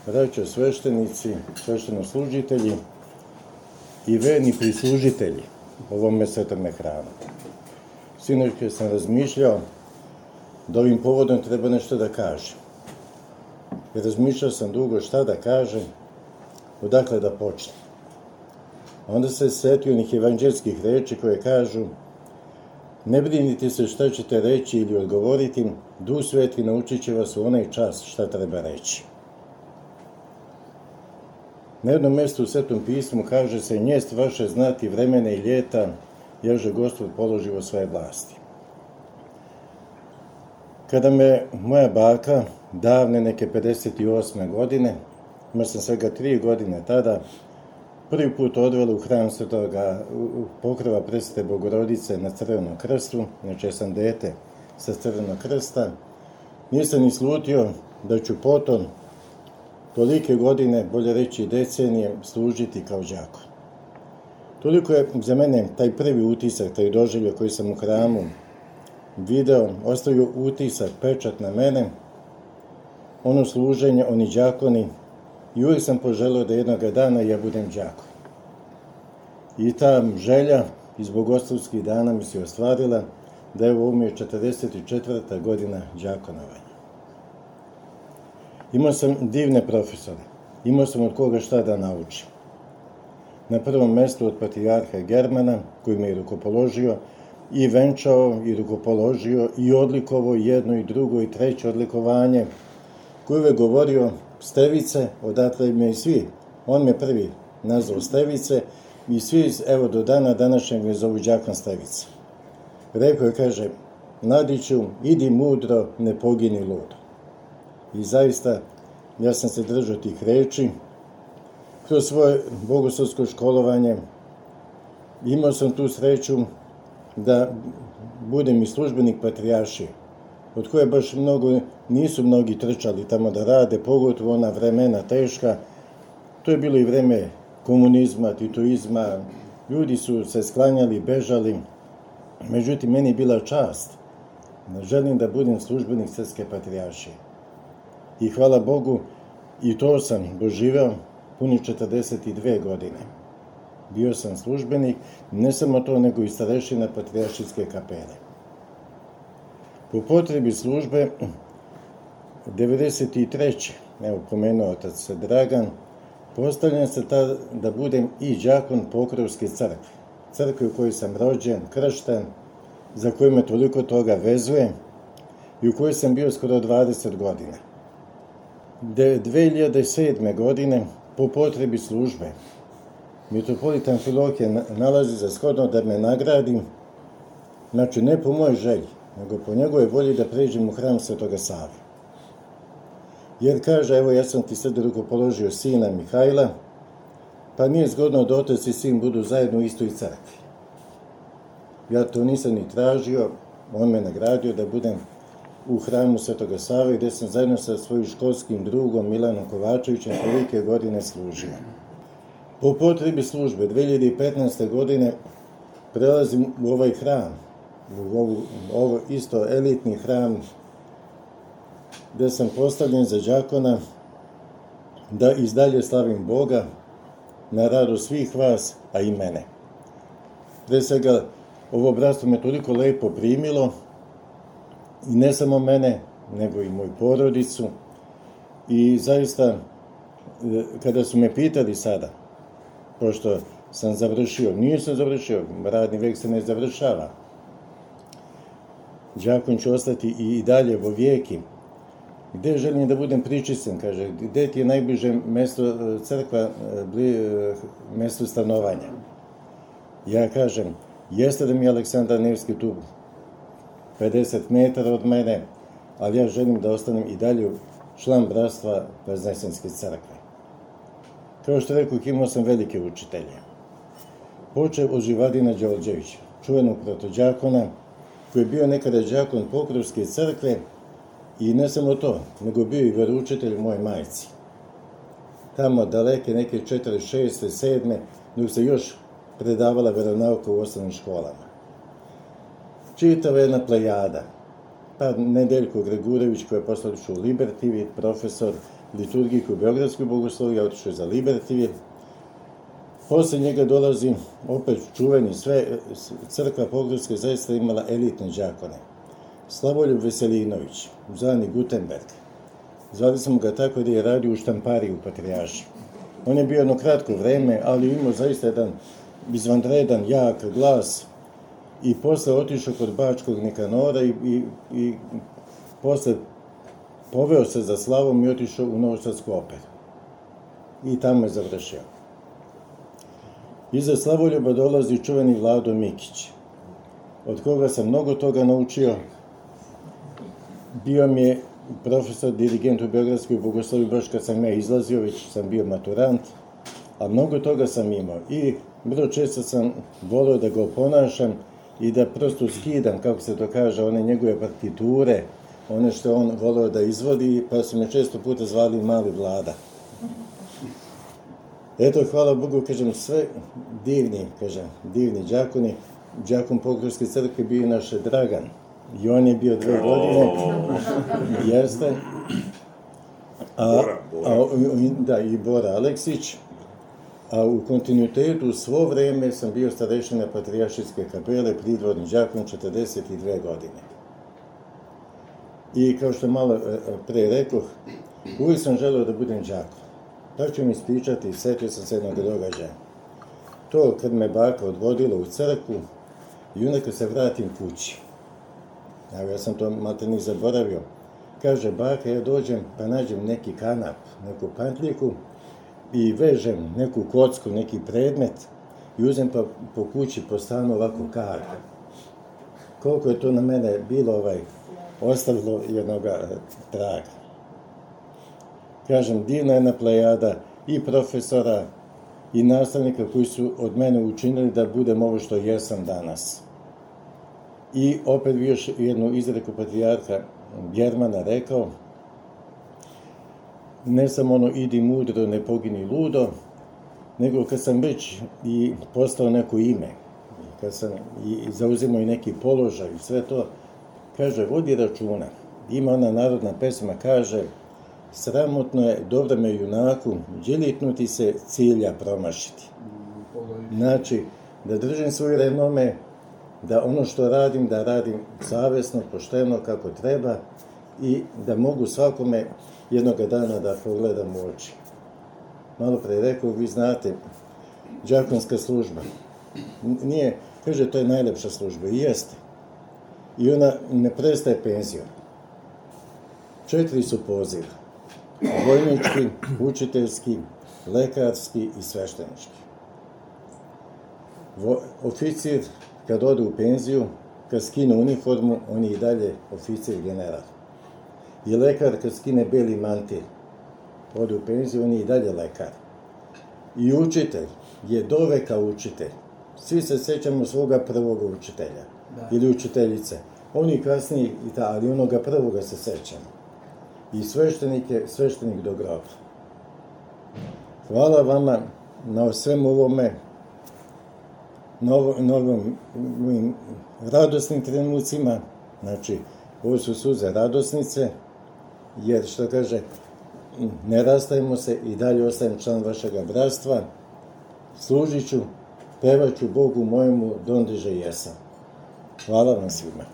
braćo sveštenici, sveštenoslужitelji i verni prislužitelji ovome svetome hramu. Sinoć kad sam razmišljao da ovim povodom treba nešto da kažem. I razmišljao sam dugo šta da kažem, odakle da počnem. Onda se setio onih evanđelskih reči koje kažu: ne brinite se šta ćete reći ili odgovoriti, Duh Sveti naučit će vas u onaj čas šta treba reći. Na jednom mjestu u Svetom pismu kaže se: njest vaše znati vremene i ljeta, ježe Gospod položio svoje vlasti. Kada me moja baka, davne neke 58. godine, imao sam svega 3 godine tada, prvi put odvela u hram Svetoga Pokrova Presvete Bogorodice na Crvenom krstu, znači sam dete sa Crvenog krsta, nisam ni slutio da ću potom tolike godine, bolje reći decenije, služiti kao đakon. Toliko je za mene taj prvi utisak, taj doživljaj koji sam u hramu video, ostavio utisak, pečat na mene, ono služenje, oni đakoni, i uvijek sam poželio da jednoga dana ja budem đakon. I ta želja iz bogoslovskih dana mi se ostvarila, da evo ovo mi je 44. godina đakonovanja. Imao sam divne profesore, imao sam od koga šta da naučim. Na prvom mjestu od patrijarha Germana, koji me je rukopoložio i venčao i rukopoložio i odlikovao jedno i drugo i treće odlikovanje, koji uvek govorio: Stevice, odatle me i svi. On me prvi nazvao Stevice i svi, evo do dana današnjeg me zovu đakon Stevice. Rekao je, kaže: Mladiću, idi mudro, ne pogini ludo. I zaista, ja sam se držao tih reči. Kroz svoje bogoslovsko školovanje imao sam tu sreću da budem i službenik patrijaršije, od koje baš nisu mnogi trčali tamo da rade, pogotovo ona vremena teška. To je bilo i vreme komunizma, titoizma, ljudi su se sklanjali, bežali. Međutim, meni je bila čast da želim da budem službenik Srpske patrijaršije. I hvala Bogu, i to sam doživeo punih 42 godine. Bio sam službenik, ne samo to, nego i starešina patrijaršijske kapele. Po potrebi službe, 93. evo pomenuo otac Dragan, postavljam se da budem i đakon Pokrovske crkve. Crkve u kojoj sam rođen, kršten, za koju me toliko toga vezuje i u kojoj sam bio skoro 20 godina. 2007. godine, po potrebi službe, mitropolit Amfilohije nalazi za shodno da me nagradim, znači ne po mojoj želji, nego po njegove volji da pređem u hram Svetoga Save. Jer kaže: evo, ja sam ti sad rukopoložio sina Mihajla, pa nije zgodno da otac i sin budu zajedno u istoj crkvi. Ja to nisam ni tražio, on me nagradio da budem u hramu Svetoga Save, gdje sam zajedno sa svojim školskim drugom Milanom Kovačevićem tolike godine služio. Po potrebi službe 2015. godine prelazim u ovaj hram, u ovo isto elitni hram, gdje sam postavljen za đakona da izdalje slavim Boga na radost svih vas, a i mene. Pre svega, ovo bratstvo me toliko lepo primilo, i ne samo mene, nego i moju porodicu. I zaista, kada su me pitali sada, pošto sam završio, nisam završio, radni vek se ne završava, đakon ću ostati i dalje vo vijeki. Gde želim da budem pričisten, kaže, gde ti je najbliže mesto crkva, mesto stanovanja? Ja kažem, jeste da mi je Aleksandar Nevski tu 50 metara od mene, ali ja želim da ostanem i dalje član bratstva Vaznesenske crkve. Kao što rekao, imao sam velike učitelje. Počeo od Živadina Đorđevića, čuvenog protođakona, koji je bio nekada đakon Pokrovske crkve, i ne samo to, nego bio i veroučitelj moje majci. Tamo daleke neke 46. 7. dok se još predavala veronauka u osnovnim školama. Čitava jedna plejada. Pa Nedeljko Gregurević, koji je posle u Liberty, profesor, liturgijku u Beogradskoj bogosloviji, otišao je za Libertivir. Posle njega dolazi opet čuveni sve, crkva Pogorska zaista imala elitne đakone. Slavoljub Veselinović, zvani Gutenberg. Zvali smo ga tako da je radio u štampariji u Patrijarši. On je bio jedno kratko vreme, ali imao zaista jedan izvanredan, jak glas i posle otišao kod Bačkog Nikanora i posle poveo se za slavom i otišao u Novosadsku operu. I tamo je završio. Iza Slavoljuba dolazi čuveni Vlado Mikić, od koga sam mnogo toga naučio. Bio mi je profesor, dirigent u Beogradskoj bogosloviji baš kad sam ja izlazio, već sam bio maturant, a mnogo toga sam imao. I vrlo često sam volio da ga oponašam i da prosto skidam, kako se to kaže, one njegove partiture, one što on volio da izvodi, pa su me često puta zvali Mali Vlada. Eto, hvala Bogu, kažem, sve divni đakoni. Đakon Pogorske crkve bio naš Dragan. I on je bio 2 godine. Jeste. I Bora Aleksić. A u kontinuitetu svo vreme sam bio starešina Patrijaršijske kapele, pridvorni đakon 42 godine. I kao što malo pre rekoh, uvijek sam želeo da budem đakon. Pa ću mi ispričati, setio sam se jednog događaja. To kad me baka odvodila u crkvu i onda kad se vratim kući. Ja sam to malte ni zaboravio. Kaže baka, ja dođem pa nađem neki kanap, neku pantljiku i vežem neku kocku, neki predmet i uzem pa po kući po stanu ovako kaga. Koliko je to na mene bilo ostavilo jednoga traga. Kažem, divna jedna plejada i profesora i nastavnika koji su od mene učinili da budem ovo što jesam danas. I opet bi još jednu izreku patrijarha Germana rekao, ne samo ono idi mudro, ne pogini ludo, nego kad sam već i postao neko ime, kad sam i zauzimao i neki položaj i sve to, kaže, vodi računa. Ima ona narodna pesma, kaže, sramotno je dobrome junaku djelitnuti se cilja promašiti. Znači, da držim svoj renome, da ono što radim, da radim savjesno, pošteno, kako treba i da mogu svakome jednoga dana da pogledam u oči. Malo pre rekao, vi znate, đakonska služba. Nije, kaže, to je najlepša služba. I jeste. I ona ne prestaje penzijom. 4 su poziva. Vojnički, učiteljski, lekarski i sveštenički. Oficir, kad ode u penziju, kad skine uniformu, on je i dalje oficir general. I lekar, kad skine beli mantil, ode u penziju, on je i dalje lekar. I učitelj je doveka učitelj. Svi se sećamo svoga prvoga učitelja ili učiteljice. Oni kasnije, ali onoga prvoga se sećamo. I sveštenik je sveštenik do groba. Hvala vama na svemu ovome, na ovim radosnim trenucima. Znači, ovo su suze radosnice, jer što kaže, ne rastajemo se i dalje ostajem član vašega bratstva. Služit ću, pevat ću Bogu mojemu dondeže jesam. Hvala vam svima.